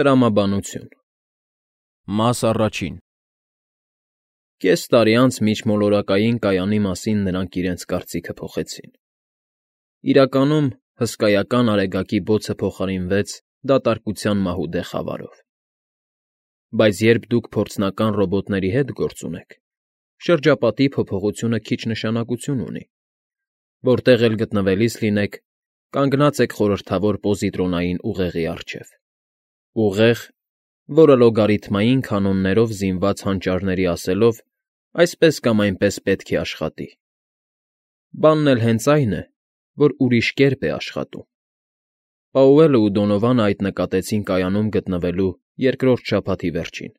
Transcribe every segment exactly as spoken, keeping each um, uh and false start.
Տրամաբանություն Մաս առաջին Կես տարի անց միջմոլորակային կայանի մասին նրանք իրենց կարծիքը փոխեցին. իրականում, հսկայական արեգակի բոցը փոխարինվեց դատարկության մահուդե խավարով։ Բայց երբ դուք փորձնական ռոբոտների հետ գործ ունեք, շրջապատի փոփոխությունը քիչ նշանակություն ունի. որտեղ էլ գտնվելիս լինեք, կանգնած եք խորհրդավոր պոզիտրոնային ուղեղի առջև։ Ուղեղ, որը լոգարիթմային կանոններով զինված հանճարների ասելով, այսպես կամ այնպես պետք է աշխատի։ Բանն էլ հենց այն է, որ ուրիշ կերպ է աշխատում։ Պաուելն ու Դոնովանը այդ նկատեցին կայանում գտնվելու երկրորդ շաբաթի վերջին։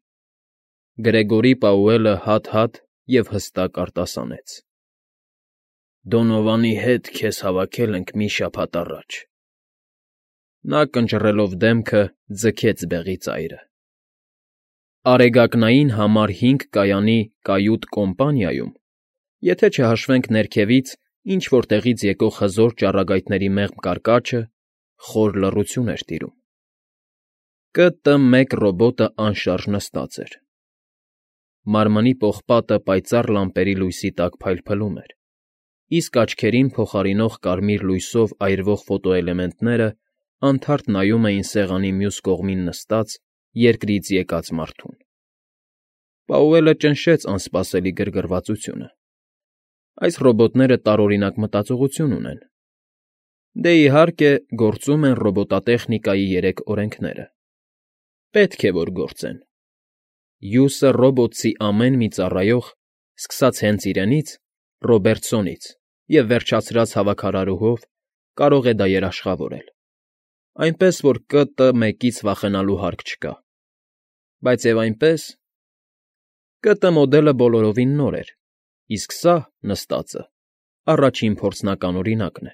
Գրեգորի Պաուելը հատ֊հատ և հստակ արտասանեց. Դոնովանի հետ քեզ հավաքել ենք մի շաբաթ առաջ։ Նա կնճռելով դեմքը ձգեց բեղի ծայրը։ Արեգակնային համար հինգ կայանի կայութ կոմպանիայում, եթե չհաշվենք ներքևից ինչ֊որ տեղից եկող հզոր ճառագայթների մեղմ կարկաչը, խոր լռություն էր տիրում։ Կ Տ մեկ ռոբոտը անշարժ նստած էր։ Մարմնի պողպատը պայծառ լամպերի լույսի տակ փայլփլում էր, իսկ աչքերին փոխարինող կարմիր լույսով այրվող ֆոտոէլեմենտները անթարթ նայում էին սեղանի մյուս կողմին նստած, երկրից եկած մարդուն։ Պաուելը ճնշեց անսպասելի գրգռվածությունը։ Այս ռոբոտները տարօրինակ մտածողություն ունեն։ Դե, իհարկե, գործում են ռոբոտատեխնիկայի երեք օրենքները։ Պետք է, որ գործեն։ Հյուսը ռոբոտցի ամեն մի ծառայող, սկսած հենց իրենից, Ռոբերտսոնից և վերջացրած հավաքարարուհով, կարող է դա երաշխավորել, այնպես որ Կ Տ մեկից վախենալու հարկ չկա։ Բայց և այնպես… Կ Տ մոդելը բոլորովին նոր էր, իսկ սա, նստածը, առաջին փորձնական օրինակն է։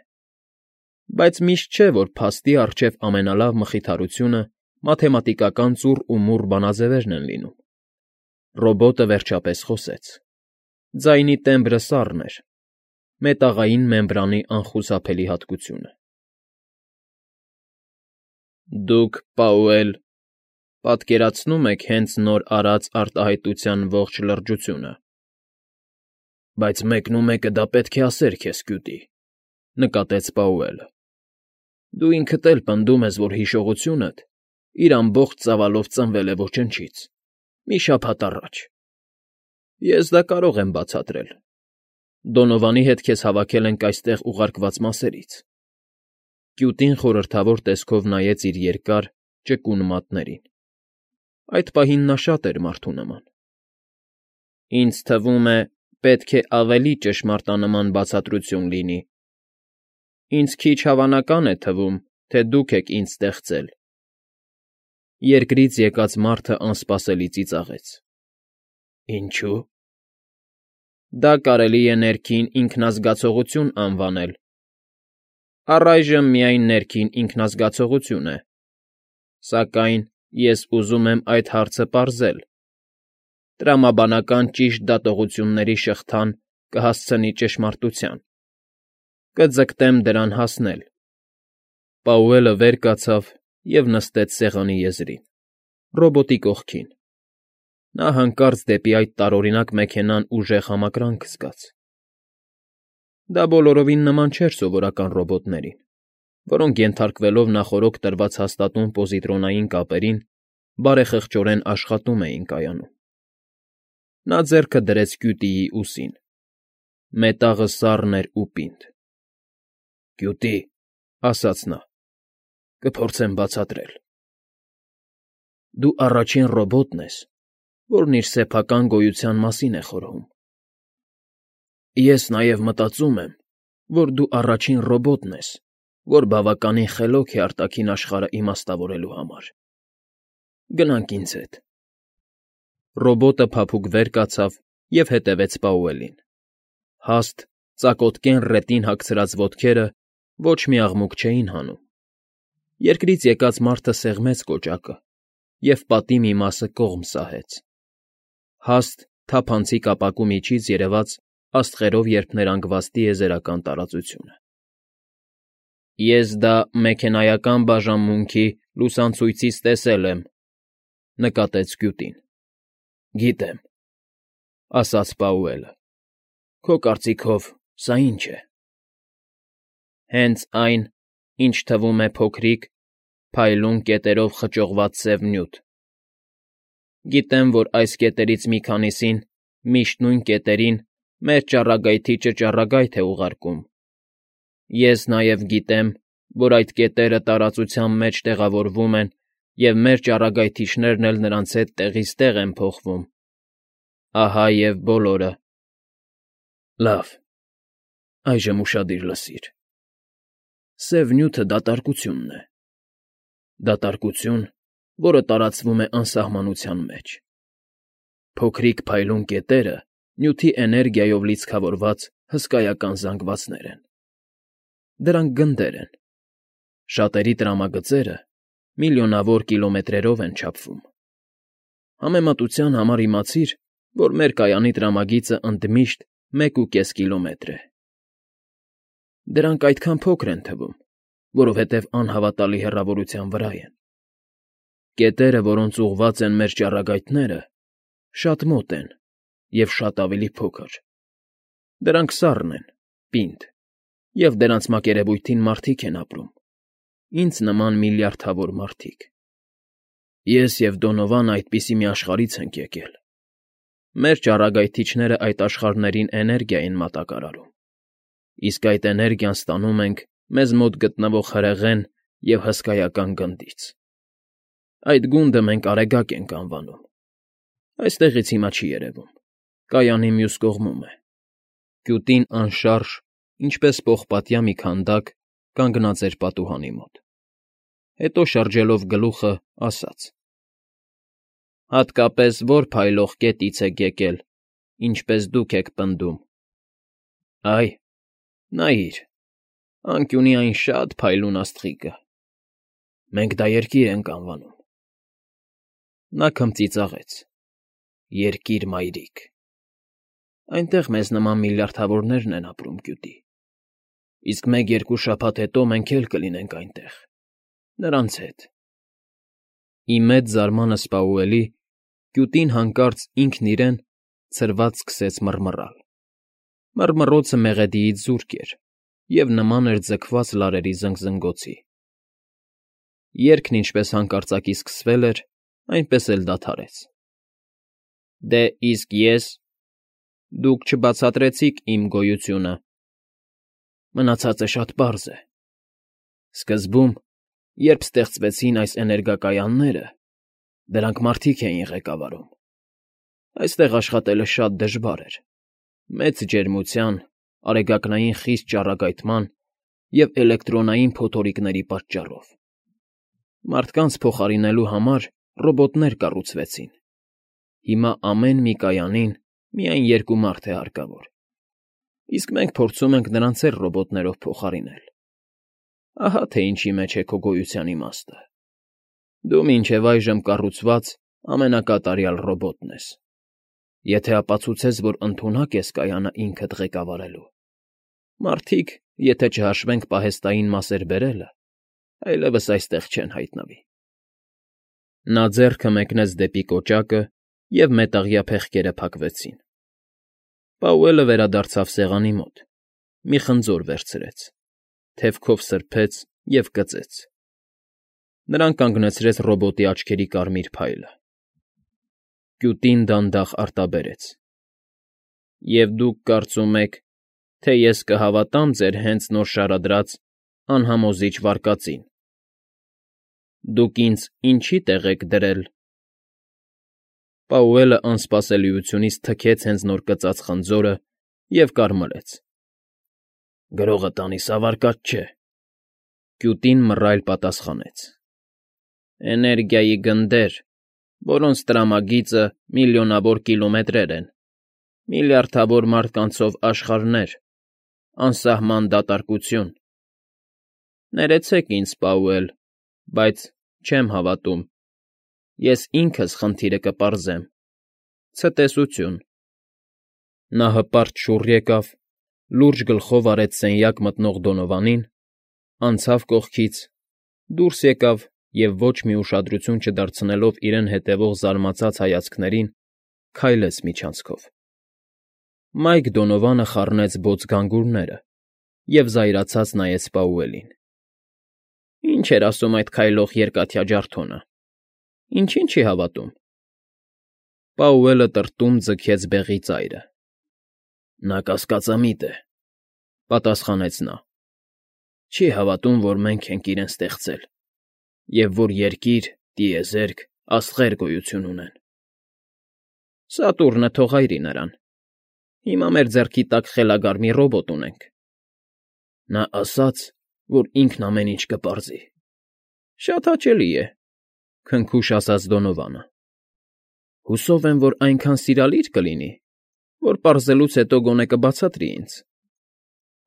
Բայց միշտ չէ, որ փաստի առջև ամենալավ մխիթարությունը մաթեմատիկական ծուռ ու մուռ բանաձևերն են լինում։ Ռոբոտը վերջապես խոսեց։ Ձայնի տեմբրը սառն էր, մետաղային մեմբրանի անխուսափելի հատկությունը։ Դուք, Պաուել, պատկերացնո՞ւմ եք հենց նոր արած արտահայտության ողջ լրջությունը։ Բայց մեկնումեկը դա պետք է ասեր քեզ, կյուտի, նկատեց Պաուելը։ Դու ինքդ էլ պնդում ես, որ հիշողությունդ իր ամբողջ ծավալով ծնվել է ոչնչից, մի շաբաթ առաջ։ Ես դա կարող եմ բացատրել։ Դոնովանի հետ քեզ հավաքել ենք այստեղ ուղարկված մասերից։ Կյուտին խորհրդավոր տեսքով նայեց իր երկար, ճկուն մատներին։ Այդ պահին նա շատ էր մարդու նման։ Ինձ թվում է, պետք է ավելի ճշմարտանման բացատրություն լինի։ Ինձ քիչ հավանական է թվում, թե դուք եք ինձ ստեղծել։ Երկրից եկած մարդը անսպասելի ծիծաղեց։ Ինչո՞ւ։ Դա կարելի է ներքին ինքնազգացողություն անվանել։ Առայժմ միայն ներքին ինքնազգացողություն է։ Սակայն ես ուզում եմ այդ հարցը պարզել։ Տրամաբանական ճիշտ դատողությունների շղթան կհասցնի ճշմարտության։ Կձգտեմ դրան հասնել։ Պաուելը վեր կացավ և նստեց սեղանի եզրին, ռոբոտի կողքին։ Նա հանկարծ դեպի այդ տարօրինակ մեքենան ուժեղ համակրանք զգաց։ Դա բոլորովին նման չէր սովորական ռոբոտներին, որոնք ենթարկվելով նախօրոք տրված հաստատուն պոզիտրոնային կապերին, բարեխղճորեն աշխատում էին կայանում։ Նա ձեռքը դրեց կյուտիի ուսին։ Մետաղը սառն էր ու պինդ։ Կյուտի, ասաց նա, կփորձեմ բացատրել։ Դու առաջին ռոբոտն ես, որն իր սեփական գոյության մասին է խորհում։ Ես նաև մտածում եմ, որ դու առաջին ռոբոտն ես, որ բավականին խելոք է արտաքին աշխարհը իմաստավորելու համար։ Գնանք ինձ հետ։ Ռոբոտը փափուկ վեր կացավ և հետևեց Պաուելին։ Հաստ, ծակոտկեն ռետին հագցրած ոտքերը ոչ մի աղմուկ չէին հանում։ Երկրից եկած մարդը սեղմեց կոճակը և պատի մի մասը կողմ սահեց։ Հաստ, թափանցիկ ապակու միջից երևաց աստղերով երփներանգված տիեզերական տարածությունը։ Ես դա մեքենայական բաժանմունքի Լուսանցույցից տեսել եմ,֊ նկատեց Գյուտին։ ֊ Գիտեմ,֊ ասաց Պաուելը։ Քո կարծիքով սա ի՞նչ է։ ֊ Հենց այն, ինչ թվում է փոքրիկ, փայլուն կետերով խճողված սև նյութ։ Գիտեմ, որ այս կետերից մի քանիսին միշտ նույն կետերին մեր ճառագայթի ճճառագայթ է ուղարկում։ Ես նաև գիտեմ, որ այդ կետերը տարածության մեջ տեղավորվում են, և մեր ճառագայթիչներն էլ նրանց հետ տեղից տեղ են փոխվում։ Ահա և բոլորը։ ֊ Լավ, այժմ ուշադիր լսիր։ Սև նյութը դատարկությունն է։ Դատարկություն, որը տարածվում է անսահմանության մեջ։ Փոքրիկ փայլուն կետերը նյութի էներգիայով լիցքավորված հսկայական զանգվածներ են։ Դրանք գնդեր են։ Շատերի տրամագծերը միլիոնավոր կիլոմետրերով են չափվում։ Համեմատության համար իմացիր, որ մեր կայանի տրամագիծը ընդմիշտ մեկ ու կես կիլոմետր է։ Դրանք այդքան փոքր են թվում, որովհետև անհավատալի հեռավորության վրա են։ Կետերը, որոնց ուղղված են մեր ճառագայթները, շատ մոտ են և շատ ավելի փոքր։ Դրանք սառն են, պինդ, և դրանց մակերևույթին մարդիկ են ապրում, ինձ նման միլիարդավոր մարդիկ։ Ես և Դոնովանը այդպիսի մի աշխարհից ենք եկել։ Մեր ճառագայթիչները այդ աշխարհներին էներգիա են մատակարարում, իսկ այդ էներգիան ստանում ենք մեզ մոտ գտնվող հրեղեն և հսկայական գնդից։ Այդ գունդը մենք Արեգակ ենք անվանում։ Այստեղից հիմա չի երևում, կայանի մյուս կողմում է։ Գյուտին անշարժ, ինչպես պողպատյա մի քանդակ, կանգնած էր պատուհանի մոտ։ Հետո շրջելով գլուխը, ասաց. Հատկապես ո՞ր փայլող կետից եք եկել, ինչպես դուք եք պնդում։ Այ, նայիր, անկյունի այն շատ փայլուն աստղիկը։ Մենք դա երկիր ենք անվանում։ Նա քմծիծաղեց. Երկիր մայրիկ։ Այնտեղ մեզ նման միլիարդավորներն են ապրում, Գյուտի։ Իսկ մեկ֊երկու շաբաթ հետո մենք էլ կլինենք այնտեղ, նրանց հետ։ Ի մեծ զարմանս Պաուելի, Գյուտին հանկարծ ինքն իրեն ցրված սկսեց մռմռալ։ Մռմռոցը մեղեդիից զուրկ էր և նման էր ձգված լարերի զնգզնգոցի։ Երգն ինչպես հանկարծակի սկսվել էր, այնպես էլ դադարեց։ Դե իսկ ես… Դուք չբացատրեցիք իմ գոյությունը։ Մնացածը շատ պարզ է։ Սկզբում, երբ ստեղծվեցին այս էներգակայանները, դրանք մարդիկ էին ղեկավարում։ Այստեղ աշխատելը շատ դժվար էր, մեծ ջերմության, արեգակնային խիստ ճառագայթման և էլեկտրոնային փոթորիկների պատճառով։ Մարդկանց փոխարինելու համար ռոբոտներ կառուցվեցին։ Հիմա ամեն մի կայանին միայն երկու մարդ է հարկավոր, իսկ մենք փորձում ենք նրանց էլ ռոբոտներով փոխարինել։ Ահա թե ինչի մեջ է քո գոյության իմաստը։ Դու մինչև այժմ կառուցված ամենակատարյալ ռոբոտն ես։ Եթե ապացուցես, որ ընդունակ ես կայանը ինքդ ղեկավարելու։ Մարդիկ, եթե չհաշվենք պահեստային մասեր բերելը, այլևս այստեղ չեն հայտնվի։ Նա ձեռքը մեկնեց դեպի կոճակը, և մետաղյա փեղկերը փակվեցին։ Պաուելը վերադարձավ սեղանի մոտ, մի խնձոր վերցրեց, թևքով սրբեց և կծեց։ Նրան կանգնեցրեց ռոբոտի աչքերի կարմիր փայլը։ Գյուտին դանդաղ արտաբերեց. Եվ դուք կարծում եք, թե ես կհավատամ ձեր հենց նոր շարադրած անհամոզիչ վարկածին։ Դուք ինձ ինչի՞ տեղ եք դրել։ Պաուելը անսպասելիությունից թքեց հենց նոր կծած խնձորը և կարմրեց։ Գրողը տանիս հավարկած չէ։ Գյուտին մռայլ պատասխանեց. Էներգիայի գնդեր, որոնց տրամագիծը միլիոնավոր կիլոմետրեր են, միլիարդավոր մարդկանցով աշխարհներ, անսահման դատարկություն։ Ներեցեք ինձ, Պաուել, բայց չեմ հավատում։ Ես ինքս խնդիրը կպարզեմ։ Ցտեսություն։ Նա հպարտ շուռ եկավ, լուրջ գլխով արեց սենյակ մտնող Դոնովանին, անցավ կողքից, դուրս եկավ և ոչ մի ուշադրություն չդարձնելով իրեն հետևող զարմացած հայացքներին, քայլեց միջանցքով։ Մայք Դոնովանը խառնեց բոց գանգուրները և զայրացած նայեց Պաուելին։ ֊ Ի՞նչ էր ասում այդ քայլող երկաթյա ջարդոնը, ինչի՞ն չի հավատում։ Պաուելը տրտում ձգեց բեղի ծայրը։ ֊ Նա կասկածամիտ է,֊ պատասխանեց նա։ ֊ Չի հավատում, որ մենք ենք իրեն ստեղծել և որ երկիր, տիեզերք, աստղեր գոյություն ունեն։ Սատուրնը թողայրի նրան, հիմա մեր ձեռքի տակ խելագար մի ռոբոտ ունենք։ Նա ասաց, որ ինքն ամեն ինչ կպարզի։ Շատ հաճելի է,֊ քնքուշ ասաց Դոնովանը։ Հուսով եմ, որ այնքան սիրալիր կլինի, որ պարզելուց հետո գոնե կբացատրի ինձ,֊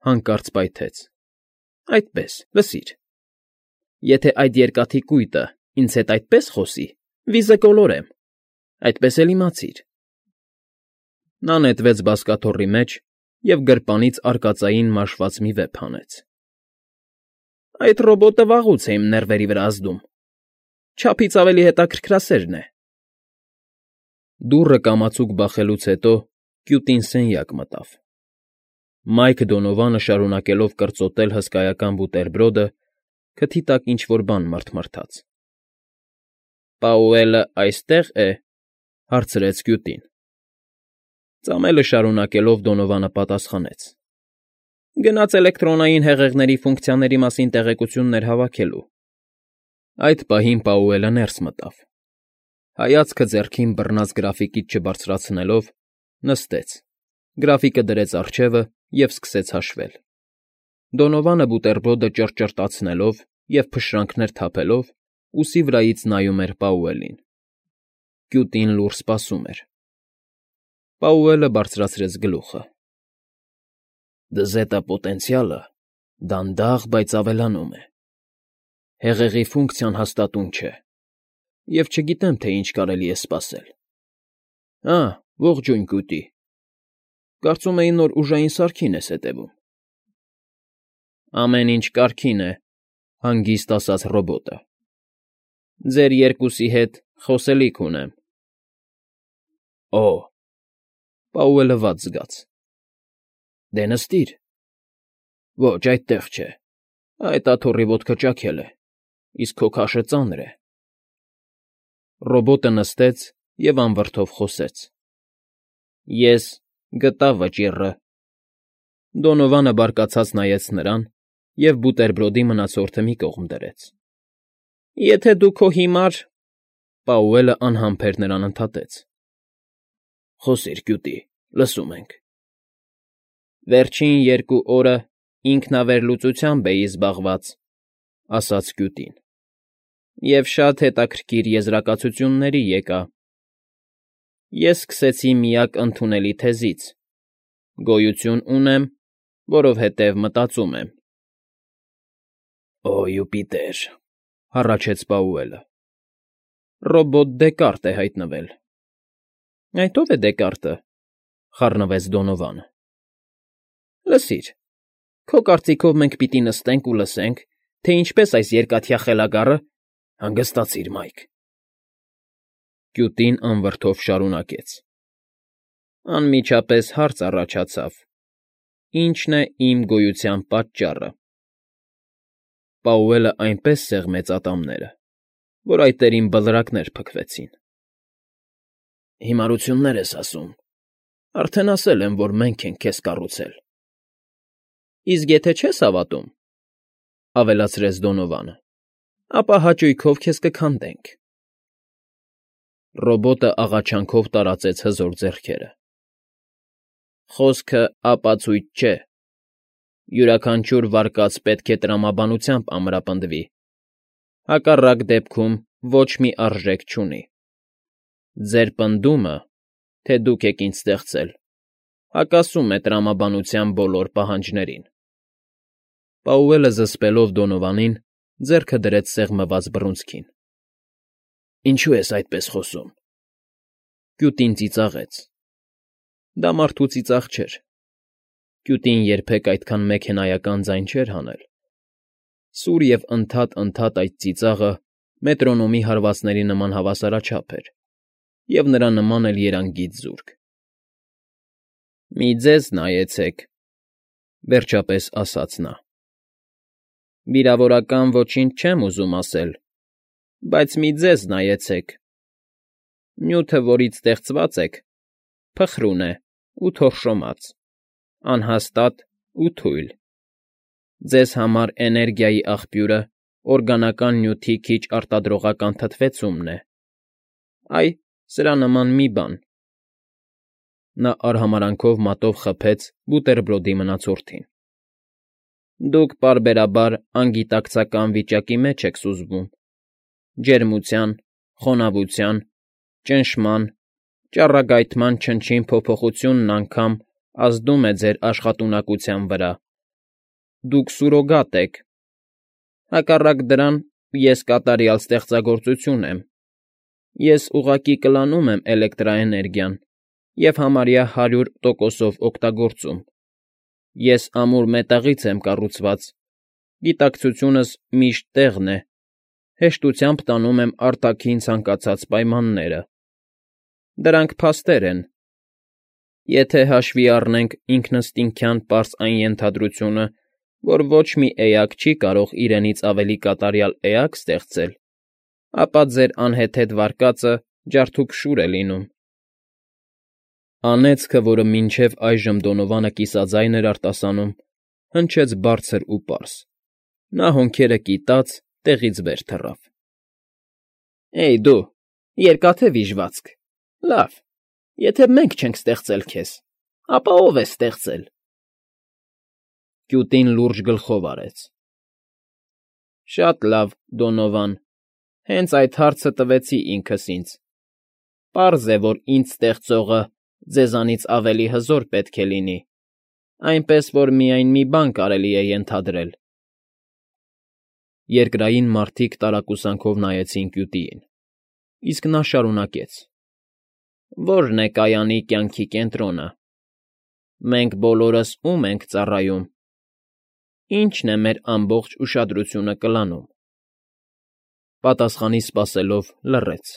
հանկարծ պայթեց։ Այդպես, լսիր. եթե այդ երկաթի կույտը ինձ հետ այդպես խոսի, վիզը կոլորեմ, այդպես էլ իմացիր։ Նա նետվեց բազկաթոռի մեջ և գրպանից արկածային մաշված մի վեպ հանեց։ Այդ ռոբոտը վաղուց է իմ ներվերի վրա ազդում, չափից ավելի հետաքրքրասերն է։ Դուռը կամացուկ բախելուց հետո կյուտին սենյակ մտավ։ Մայք Դոնովանը, շարունակելով կրծոտել հսկայական բուտերբրոդը, քթի տակ ինչ֊որ բան մռթմռթաց։ ֊ Պաուելը այստե՞ղ է,֊ հարցրեց կյուտին։ Ծամելը շարունակելով Դոնովանը պատասխանեց. Գնաց էլեկտրոնային հեղեղների ֆունկցիաների մասին տեղեկություններ հավաքելու։ Այդ պահին Պաուելը ներս մտավ։ Հայացքը ձեռքին բռնած գրաֆիկից չբարձրացնելով, նստեց, գրաֆիկը դրեց առջևը և սկսեց հաշվել։ Դոնովանը բուտերբրոդը ճռճռտացնելով և փշրանքներ թափելով, ուսի վրայից նայում էր Պաուելին։ Կյուտին լուռ սպասում էր։ Պաուելը բարձրացրեց գլուխը։ Դզետա պոտենցիալը դանդաղ, բայց ավելանում է։ Հեղեղի ֆունկցիան հաստատուն չէ, և չգիտեմ, թե ինչ կարելի է սպասել։ Ա, ողջույն, կույտի, կարծում էի նոր ուժային սարքին ես հետևում։ Ամեն ինչ կարգին է,֊ հանգիստ ասաց ռոբոտը։ Ձեր երկուսի հետ խոսելիք ունեմ։ Օ՜, Պաուելը վատ զգաց։ Դե նստիր։ Ոչ, այդտեղ չէ, այդ աթոռի ոտքը ճաքել է, իսկ քո քաշը ծանր է։ Ռոբոտը նստեց և անվրդով խոսեց. Ես գտա վճիռը։ Դոնովանը բարկացած նայեց նրան և բուտերբրոդի մնացորդը մի կողմ դրեց։ Եթե դու քո հիմար… Պաուելը անհամբեր նրան ընդհատեց. Խոսիր, կյուտի, լսում ենք։ Վերջին երկու օրը ինքնավերլուծությամբ էի զբաղված,֊ ասաց կյուտին, և շատ հետաքրքիր եզրակացությունների եկա։ Ես սկսեցի միակ ընդունելի թեզից. գոյություն ունեմ, որովհետև մտածում եմ։ Օ, Յուպիտեր,֊ հառաչեց Պաուելը։ Ռոբոտ Դեկարտ է հայտնվել։ Այդ ո՞վ է Դեկարտը,֊ խառնվեց Դոնովանը։ Լսիր, քո կարծիքով մենք պիտի նստենք ու լսենք, թե ինչպես այս երկաթյա խելագարը… Հանգստացիր, Մայք… Կյուտին անվրդով շարունակեց. Անմիջապես հարց առաջացավ. ի՞նչն է իմ գոյության պատճառը։ Պաուելը այնպես սեղմեց ատամները, որ այտերին բլրակներ փքվեցին։ Հիմարություններ ես ասում, արդեն ասել եմ, որ մենք ենք քեզ կառուցել։ Իսկ եթե չես հավատում,֊ ավելացրեց Դոնովանը,֊ ապա հաճույքով քեզ կքանդենք։ Ռոբոտը աղաչանքով տարածեց հզոր ձեռքերը։ Խոսքը ապացույց չէ։ Յուրաքանչյուր վարկած պետք է տրամաբանությամբ ամրապնդվի, հակառակ դեպքում ոչ մի արժեք չունի։ Ձեր պնդումը, թե դուք եք ինձ ստեղծել, հակասում է տրամաբանության բոլոր պահանջներին։ Պաուելը զսպելով Դոնովանին, ձեռքը դրեց սեղմված բռունցքին։ Ինչո՞ւ ես այդպես խոսում։ Կյուտին ծիծաղեց։ Դա մարդու ծիծաղ չէր։ Կյուտին երբեք այդքան մեքենայական ձայն չէր հանել։ Սուր և ընդհատ֊ընդհատ այդ ծիծաղը մետրոնոմի հարվածների նման հավասարաչափ էր, և նրա նման էլ երանգից զուրկ։ ֊ Մի ձեզ նայեցեք,֊ վերջապես ասաց նա։ ֊ Վիրավորական ոչինչ չեմ ուզում ասել, բայց մի ձեզ նայեցեք. նյութը, որից ստեղծված եք, փխրուն է ու թորշոմած, անհաստատ ու թույլ. ձեզ համար էներգիայի աղբյուրը օրգանական նյութի քիչ արտադրողական թթվեցումն է, այ, սրա նման մի բան… Նա արհամարհանքով մատով խփեց բուտերբրոդի մնացորդին։ ֊ Դուք պարբերաբար անգիտակցական վիճակի մեջ եք սուզվում, ջերմության, խոնավության, ճնշման, ճառագայթման չնչին փոփոխությունն անգամ ազդում է ձեր աշխատունակության վրա, դուք սուրոգատ եք, հակառակ դրան ես կատարյալ ստեղծագործություն եմ, ես ուղղակի կլանում եմ էլեկտրաէներգիան և համարյա հարյուր տոկոսով օգտագործում, ես ամուր մետաղից եմ կառուցված, գիտակցությունս միշտ տեղն է, հեշտությամբ տանում եմ արտաքին ցանկացած պայմանները, դրանք փաստեր են, եթե հաշվի առնենք ինքնըստինքյան պարզ այն ենթադրությունը, որ ոչ մի էակ չի կարող իրենից ավելի կատարյալ էակ ստեղծել, ապա ձեր անհեթեթ վարկածը ջարդուփշուր է լինում… Անեծքը, որը մինչև այժմ Դոնովանը կիսաձայն էր արտասանում, հնչեց բարձր ու պարզ, նա հոնքերը կիտած տեղից վեր թռավ։ ֊ Էյ դու, Երկաթե Վիժվածք, լավ, եթե մենք չենք ստեղծել քեզ, ապա ո՞վ է ստեղծել… Կյուտին լուրջ գլխով արեց։ ֊ Շատ լավ, Դոնովան, հենց այդ հարցը տվեցի ինքս ինձ, պարզ է, որ ինձ ստեղծողը ձեզանից ավելի հզոր պետք է լինի, այնպես որ միայն մի բան կարելի է ենթադրել… Երկրային մարդիկ տարակուսանքով նայեցին կյուտիին, իսկ նա շարունակեց. ֊ Ո՞րն է կայանի կյանքի կենտրոնը… Մենք բոլորս ո՞ւմ ենք ծառայում… Ի՞նչն է մեր ամբողջ ուշադրությունը կլանում… Պատասխանի սպասելով լռեց։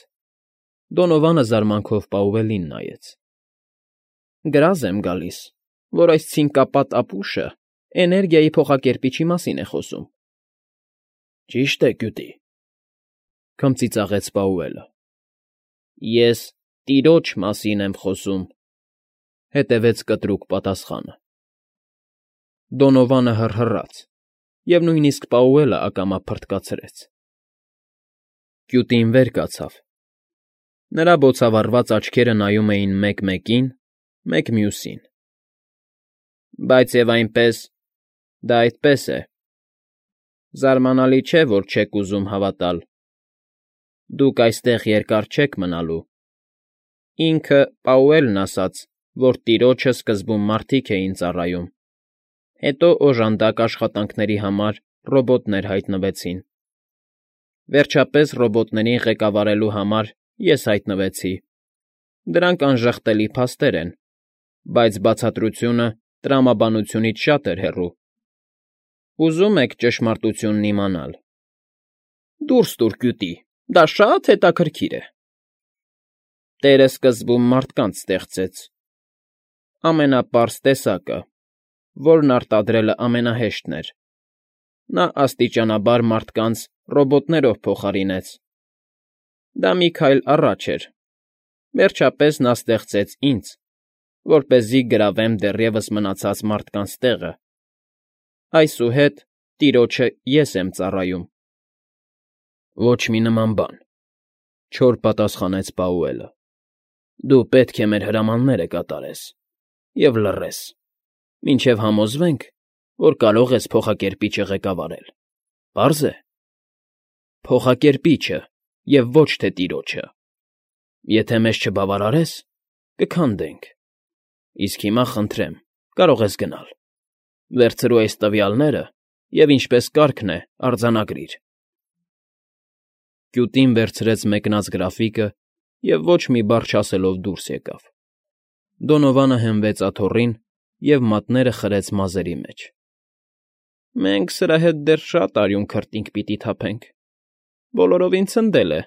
Դոնովանը զարմանքով Պաուելլին նայեց։ ֊ Գրազ եմ գալիս, որ այս ցինկապատ ապուշը էներգիայի փոխակերպիչի մասին է խոսում։ ֊ Ճիշտ է, կյուտի,֊ քմծիծաղեց Պաուելը։ ֊ Ես տիրոջ մասին եմ խոսում,֊ հետևեց կտրուկ պատասխանը։ Դոնովանը հռհռաց, և նույնիսկ Պաուելը ակամա փռթկացրեց։ Կյուտին վեր կացավ. նրա բոցավառված աչքերը նայում էին մեկ մեկին, մեկ մյուսին։ ֊ Բայց և այնպես… դա այդպես է… Զարմանալի չէ, որ չեք ուզում հավատալ… Դուք այստեղ երկար չեք մնալու… Ինքը՝ Պաուելլն ասաց, որ տիրոջը սկզբում մարդիկ էին ծառայում, հետո օժանդակ աշխատանքների համար ռոբոտներ հայտնվեցին, վերջապես ռոբոտներին ղեկավարելու համար ես հայտնվեցի… Դրանք անժխտելի փաստեր են, բայց բացատրությունը տրամաբանությունից շատ էր հեռու… Ուզո՞ւմ եք ճշմարտությունն իմանալ… Դուրս տուր, կյուտի, դա շ֊շ֊շատ հետաքրքիր է… Տերը սկզբում մարդկանց ստեղծեց… Ամենապարզ տեսակը, որն արտադրելը ամենահեշտն էր… Նա աստիճանաբար մարդկանց ռոբոտներով փոխարինեց… Դա մի քայլ առաջ էր… Վերջապես նա ստեղծեց ինձ, որպեսզի գրավեմ դեռևս մնացած մարդկանց տեղը… Այսուհետ, տիրոջը ես եմ ծառայում… ֊ Ոչ մի նման բան,֊ չոր պատասխանեց Պաուելլը։ Դու պետք է մեր հրամանները կատարես և լռես, մինչև համոզվենք, որ կարող ես փոխակերպիչը ղեկավարել… Պարզ է… Փոխակերպիչը և ոչ թե տիրոջը… Եթե մեզ չբավարարես, կքանդենք… Իսկ հիմա, խնդրեմ, կարող ես գնալ… Վերցրու այս տվյալները և, ինչպես կարգն է, արձանագրիր… Կյուտին վերցրեց մեկնած գրաֆիկը և ոչ մի բառ չասելով դուրս եկավ։ Դոնովանը հենվեց աթոռին և մատները խրեց մազերի մեջ։ ֊ Մենք սրա հետ դեռ շատ արյուն քրտինք պիտի թափենք, Բոլորովին ցնդել է։